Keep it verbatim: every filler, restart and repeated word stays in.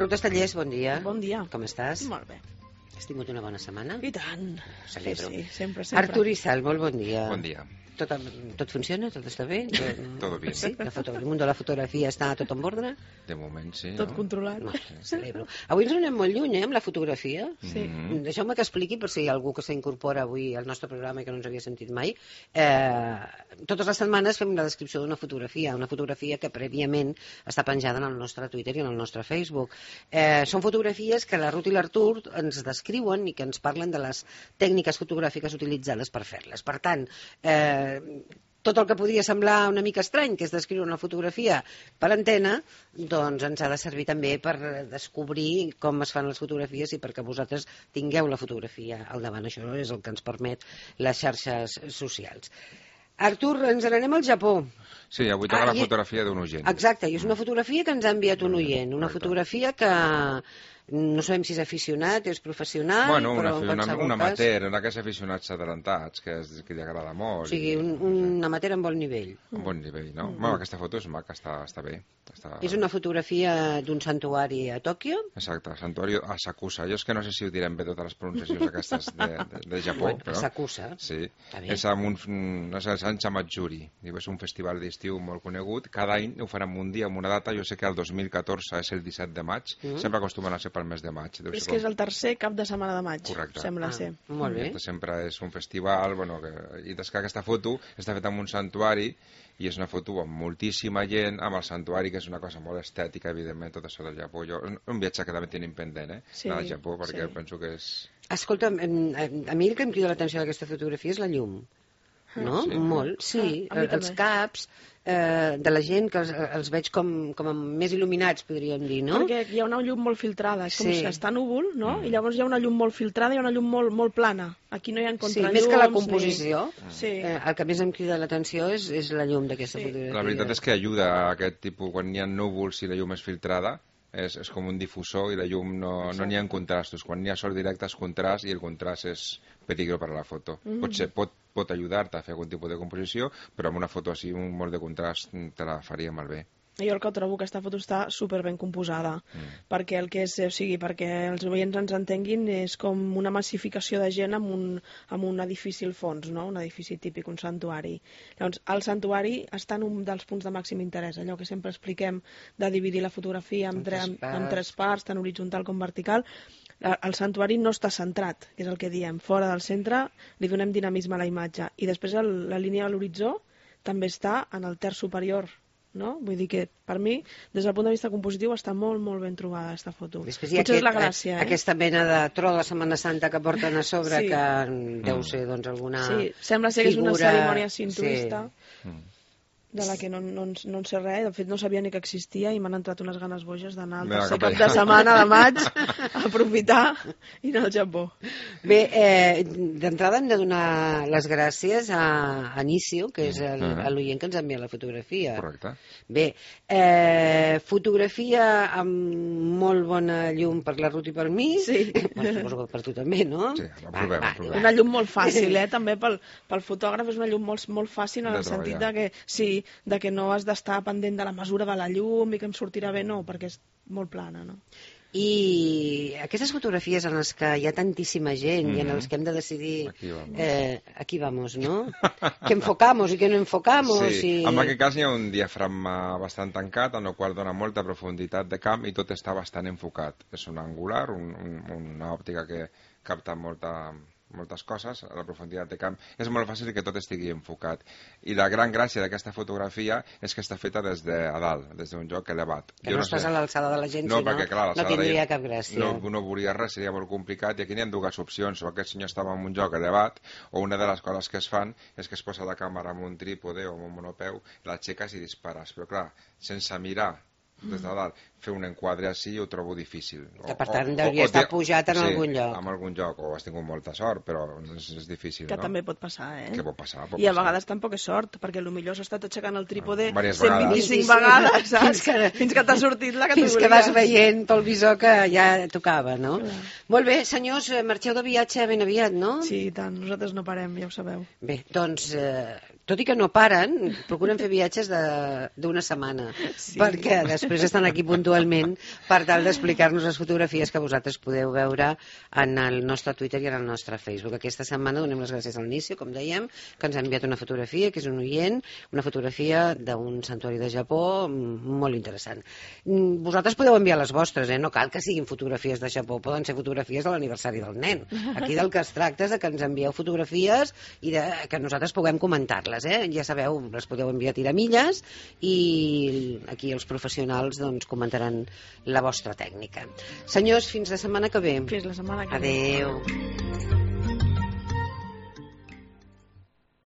Carlota Estallés, bon dia. Bon dia. Com estàs? Molt bé. Has tingut una bona setmana? I tant. Celebro. Sí, sí, sempre, sempre. Artur Isal, molt bon dia. Bon dia. Tot, tot funciona? Tot està bé? Tot, Todo bien. Sí? La foto, el món de la fotografia està tot en ordre? De moment sí, Tot no? controlat. No, celebro. Avui ens anem molt lluny, eh, amb la fotografia. Sí. Mm. Deixeu-me que expliqui, per si hi ha algú que s'incorpora avui al nostre programa i que no ens havia sentit mai. Eh, totes les setmanes fem la descripció d'una fotografia, una fotografia que prèviament està penjada en el nostre Twitter i en el nostre Facebook. Eh, són fotografies que la Ruth i l'Artur ens descriuen i que ens parlen de les tècniques fotogràfiques utilitzades per fer-les. Per tant, eh, tot el que podria semblar una mica estrany, que és descriure una fotografia per antena, doncs ens ha de servir també per descobrir com es fan les fotografies i perquè vosaltres tingueu la fotografia al davant. Això és el que ens permet les xarxes socials. Artur, ens n'anem al Japó. Sí, avui toca Ah, la i- fotografia d'un oient. Exacte, i és una fotografia que ens ha enviat un oient, una Correcte. fotografia que no sabem si és aficionat, és professional, Bueno, però una, en una, qualsevol un cas... amateur, un d'aquests aficionats adelantats, que, és, que li agrada molt. O sigui, un, un amateur amb bon nivell. Un bon nivell, no? Bueno, aquesta foto és maca, està, està bé. Està... És una fotografia d'un santuari a Tòquio. Exacte, santuari Asakusa. Jo és que no sé si ho direm bé totes les pronunciacions aquestes de, de, de Japó, Bueno, però... Asakusa. Sí, Està bé. és amb un, no sé, Sant Chamatsuri. És un festival d'estiu molt conegut. Cada any ho fan en un dia, en una data. Jo sé que el dos mil catorze és el disset de maig. Mm. Sempre acostumen a ser pel mes de maig. Deu És ser que com- és el tercer cap de setmana de maig, Correcte. sembla Ah, ser. molt bé. Aquesta sempre és un festival, bueno, que... i des que aquesta foto està feta en un santuari i és una foto amb moltíssima gent, amb el santuari, que és una cosa molt estètica, evidentment, tot això del Japó. Jo, un viatge que també tenim pendent, eh? Sí, Anar al Japó, perquè sí. penso que és... Escolta, a mi el que em crida l'atenció d'aquesta fotografia és la llum. No? sí? Molt, sí. Ah, a mi els també. caps eh, de la gent, que els, els veig com, com més il·luminats, podríem dir, no? Perquè hi ha una llum molt filtrada, és com Sí. si està núvol, no? I llavors hi ha una llum molt filtrada i una llum molt, molt plana. Aquí no hi ha Sí, contrallums. més que la ni- composició, Sí. eh, el que més em crida l'atenció és, és la llum d'aquesta Sí. fotografia. La veritat és que ajuda a aquest tipus, quan hi ha núvols i la llum és filtrada, és, és com un difusor i la llum no no n'hi ha contrastos. Quan hi ha sol directe és contrast i el contrast és peligro per a la foto. Mm. Potser pot, pot ajudar-te a fer algun tipus de composició, però amb una foto així, un molt de contrast, te la faria malbé. Jo el que trobo que aquesta foto està super ben composada, Mm. perquè el que és, o sigui, perquè els oients ens entenguin, és com una massificació de gent amb un, amb un edifici al fons, no? Un edifici típic, un santuari. Llavors, el santuari està en un dels punts de màxim interès, allò que sempre expliquem de dividir la fotografia en, En tre, tres en, parts. en tres parts, tant horitzontal com vertical. El santuari no està centrat, que és el que diem. Fora del centre li donem dinamisme a la imatge. I després el, la línia de l'horitzó també està en el terç superior, no? Vull dir que, per mi, des del punt de vista compositiu, està molt, molt ben trobada, aquesta foto. Després hi ha Potser aquest, és la gràcia, eh? aquesta mena de tro de Setmana Santa que porten a sobre, Sí. que deu ser doncs, alguna Sí, sembla ser que és una figura- cerimònia sintoista, Sí. Mm. de la que no, no, en- no en sé res. De fet, no sabia ni que existia i m'han entrat unes ganes boges d'anar al Mira, tercer cap cap allà. de setmana de maig a aprofitar i anar al Japó. Bé, eh, d'entrada hem de donar les gràcies a Anicio, que és el- Mhm. l'oient que ens envia la fotografia. Correcte. Bé, eh, fotografia amb molt bona llum per la Ruth i per mi. Sí. Bueno, suposo que per tu també, no? Sí, aprovem, aprovem. Una llum molt fàcil, eh? També pel, pel fotògraf és una llum molt, molt fàcil en De el sentit de treballar. que, sí, de que no has d'estar pendent de la mesura de la llum i que em sortirà bé, no, perquè és molt plana, no? I aquestes fotografies en les que hi ha tantíssima gent i en Mhm. les que hem de decidir Aquí vamos. eh, aquí vamos, no? Que enfocamos i que no enfocamos. Sí, i... en aquest cas hi ha un diafragma bastant tancat, en el qual dona molta profunditat de camp i tot està bastant enfocat. És un angular, un, un, una òptica que capta molta, moltes coses, a la profunditat de camp. És molt fàcil que tot estigui enfocat. I la gran gràcia d'aquesta fotografia és que està feta des de a dalt, des d'un lloc elevat. Que no, no estàs sé. a l'alçada de la gent, No, si no, perquè, clar, no l'alçada tindria de- cap gràcia. No, no volia res, seria molt complicat, i aquí n'hi ha dues opcions. O aquest senyor estava en un lloc elevat, o una de les coses que es fan és que es posa la càmera amb un trípode o amb un monopeu, l'aixeques i dispares. Però clar, sense mirar des de dalt, fer un enquadre així ho trobo difícil. Que, per tant, hauria estar pujat en sí, algun lloc. en algun lloc, o has tingut molta sort, però és, és difícil, Que no? també pot passar, eh? Què pot passar? Pot I a passar. vegades tampoc és sort, perquè potser s'ha estat aixecant el trípode Ah, diverses cent vint-i-cinc vegades. vegades, saps? Fins que- Fins que t'ha sortit la que tu Fins que volies. vas veient pel visor que ja tocava, no? Clar. Molt bé, senyors, eh, marxeu de viatge ben aviat, no? Sí, i tant, nosaltres no parem, ja ho sabeu. Bé, doncs, eh, tot i que no paren, procuren fer viatges de- d'una setmana, Sí. perquè després després estan aquí puntualment per tal d'explicar-nos les fotografies que vosaltres podeu veure en el nostre Twitter i en el nostre Facebook. Aquesta setmana donem les gràcies al Nício, com dèiem, que ens ha enviat una fotografia, que és un oient, una fotografia d'un santuari de Japó molt interessant. Vosaltres podeu enviar les vostres, eh? No cal que siguin fotografies de Japó, poden ser fotografies de l'aniversari del nen. Aquí del que es tracta és que ens envieu fotografies i de, que nosaltres puguem comentar-les, eh? Ja sabeu, les podeu enviar a tiramilles i aquí els professionals doncs, comentaran la vostra tècnica. Senyors, fins la setmana que ve. Fins la setmana que ve. Adeu.